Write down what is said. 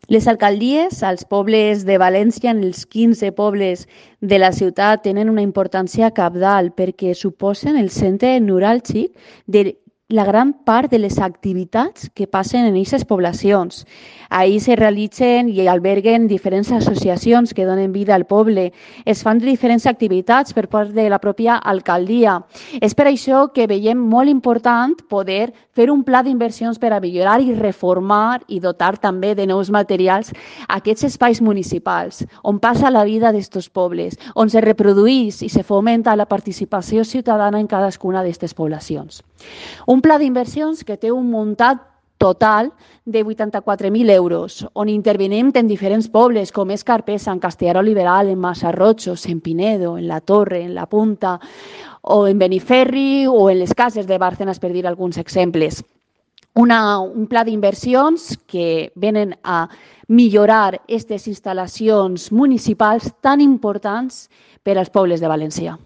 Les alcaldies als pobles de València, en els 15 pobles de la ciutat, tenen una importància cabdal perquè suposen el centre neuràlgic de la gran part de les activitats que passen en aquestes poblacions. Ahí se realitzen i alberguen diferents associacions que donen vida al poble. Es fan diferents activitats per part de la pròpia alcaldia. És per això que veiem molt important poder fer un pla d'inversions per a millorar i reformar i dotar també de nous materials aquests espais municipals on passa la vida d'estos pobles, on se reprodueix i se fomenta la participació ciutadana en cadascuna d'aquestes poblacions. Un pla d'inversions que té un muntat total de 84.000 euros, on intervenim en diferents pobles com és Carpesa, en Castellar Liberal, en Massarrotxos, en Pinedo, en la Torre, en la Punta, o en Beniferri o en les cases de Bárcenas, per dir alguns exemples. Un pla d'inversions que venen a millorar aquestes instal·lacions municipals tan importants per als pobles de València.